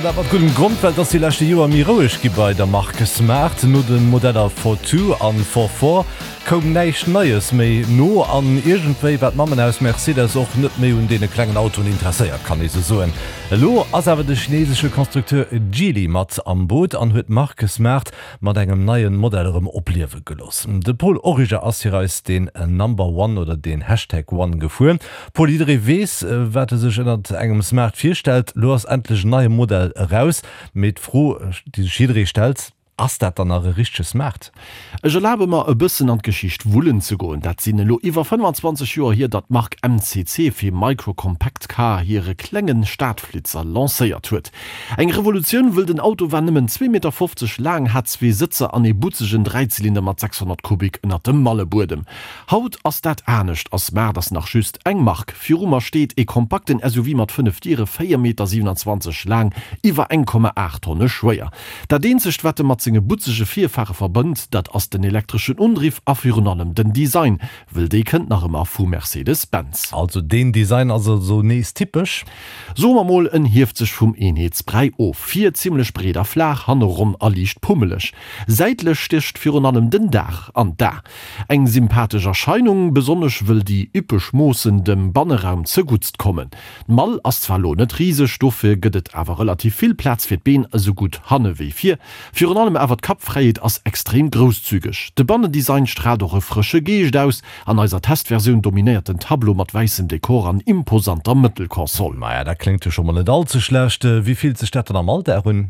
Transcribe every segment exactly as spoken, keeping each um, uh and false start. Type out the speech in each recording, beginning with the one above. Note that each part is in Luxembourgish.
An dat mat guddem Grond, well et ass déi leschte Joer méi roueg gi bei der Mark Smart. No de Modeller Fortwo an Forfour koum näischt Neies méi no an iergendwéi war d'Mammenhaus Mercedes och net méi un deene klengen Autoen interesséiert, kann ee sou soen. Elo ass awer de chinesesche Constructeur Geely mat am Boot an huet d'Mark Smart mat engem neie Modell erëm opliewe gelooss. De Paul Origer ass fir eis den Number One oder den Hashtag One gefuer. Paul, jidderee weess, wat e sech ënnert engem Smart virstellt. Lo ass endlech en neie Modell eraus, mee d'Fro, déi sech jidderee stellt, Ass dat dann nach e richtege Smart? Ech erlabe mer, e bëssen an d'Geschicht wullen ze goen. Dat sinn elo iwwer fënnfanzwanzeg Joer hier, datt d'Mark M C C fir Micro Compact Car hire klenge Stadflitzer lancéiert huet. Eng Revolutioun, wëll den Auto war nëmmen zwee Meter fofzeg laang, hat zwee Sëtzer an ee butzegen Dräizylinder mat sechshonnert Kubik ënnert dem Mallebuedem. Haut ass dat anescht a Smart ass nach just eng Mark. Viru mer steet ee kompakten S U V mat fënnef Diere, véier Meter siewenanzwanzeg laang, iwwer eng Komma aacht Tonne schwéier. Dat eenzegt, wat e mat senge butzege Virfare verbënnt, dat ass den elektreschen Undriff a virun allem den Design, wëll dee kënnt nach ëmmer vu Mercedes-Benz. Also deen Design ass also nees typesch? Soe mer mol, en hieft sech vum Eenheetsbräi of. Vir zimmlech breet a flaach, hanne ronn a liicht pummeleg. Säitlech stécht virun allem den Daach an d'A. Eng sympathesch Erscheinung, besonnesch wëll déi üppeg Moossen dem Banneraum zeguttst kommen. D'Mall ass zwar lo net riseg, dofir gëtt et awer relativ vill Plaz fir d'Been, esou gutt hanne wéi vir. Virun allem awer d'Kappfräiheet ass extrem grousszügeg. De Bannendesign straalt och e frësche Geescht aus. An eiser Testversioun dominéiert den Tableau mat wäissem Dekor an imposanter Mëttelkonsol. Maja, dat kléngt jo scho mol net all ze schlecht. Wéi fillt sech dat dann am Alldag un?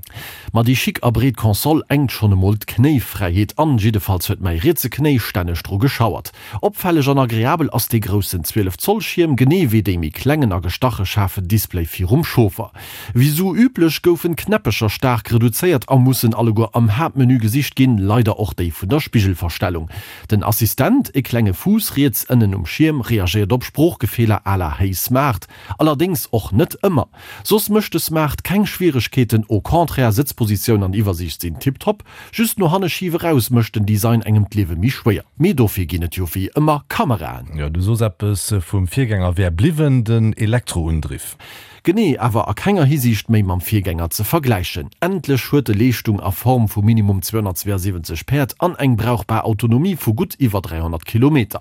Ma déi chic a breet Konsol enkt schonn emol d'Knéifräiheet an, jiddefalls huet mäi rietse Knéi stänneg dru geschauert. Opfälleg an agreabel ass dee groussen zwielef Zoll Schierm, genee wéi dee méi klengen a gestache schaarfen Display virum Chauffer. Wéi sou üblech goufen d'Knäppecher staark reduzéiert a mussen alleguer am Haaptmenü gesicht ginn, leider och déi vun der Spigelverstellung. Den Assistent, e klenge Fuuss riets ënnen um Schierm, reagéiert op Sproochbefeeler à la Hey Smart, allerdéngs och net ëmmer. Soss mécht de Smart keng Schwieregkeeten, au contraire, Sëtzpositioun an Iwwersiicht sinn tiptop, just no hanne schif eraus mécht den Design engem d'Liewe méi schwéier. Mee dofir ginn et jo wéi ëmmer Kameraen. Jo, du soos eppes vum Virgänger wär bliwwen, den Elektroundriff. Genee, awer a kenger Hisiicht méi mam Virgänger ze vergläichen. Endlech huet e Leeschtung a Form vu minimum zweehonnertzweeasiwwenzeg Päerd an eng brauchbar Autonomie vu gutt iwwer dräihonnert Kilometer.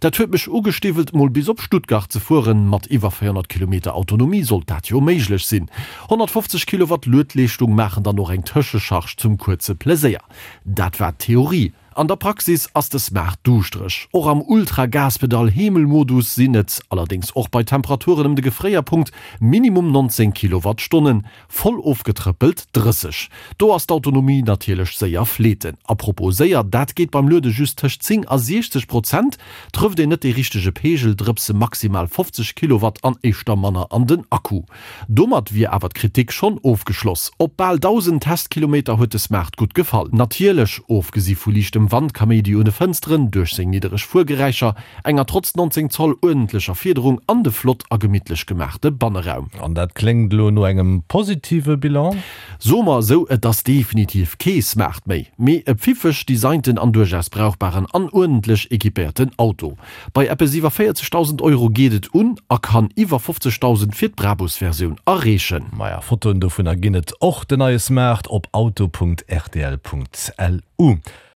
Dat huet mech ugestiwwelt, mol bis op Stuttgart ze fueren. Mat iwwer véierhonnert Kilometer Autonomie sollt dat jo méiglech sinn. Honnertfofzeg Kilowatt Luedleeschtung maachen dann och eng Tëschecharge zum kuerze Pleséier. Dat war d'Theorie. An der Praxis ass de Smart duuschtereg. Och am Ultra-Gaspedal-Heemel-Modus sinn et, allerdéngs och bei Temperaturen ëm de Gefréierpunkt, minimum nonzéng Kilowattstonnen, voll ofgetrëppelt drësseg. Do ass d'Autonomie natierlech séier fleeten. A propos séier, dat geet beim Luede just tëscht zéng a siechzeg Prozent. Trëfft een net dee richtege Peegel, drëpse maximal fofzeg Kilowatt an éischter manner an den Akku. Domat wier awer d'Kritik schonn ofgeschloss. Op bal dausend Testkilometer huet de Smart gutt gefall. Natierlech, ofgesi vu liichtem Wandkaméidi un de Fënsteren, duerch seng niddereg Fuergeräischer, enger trotz nonzéng Zoll uerdentlecher Fiederung an de flott a gemittlech gemaachte Banneraum. An dat kléngt elo no engem positive Bilan? Soe mer esou, et ass definitiv kee Smart méi, mee e pfiffeg designten an duerchaus brauchbaren an uerdentlech equipéierten Auto. Bei eppes iwwer véierzegdausend Euro geet et un a kann iwwer fofzegdausend fir d'Brabus-Versioun erreechen. Maja, Fotoen dovunner ginn et och, den neie Smart, op auto Punkt rtl Punkt lu.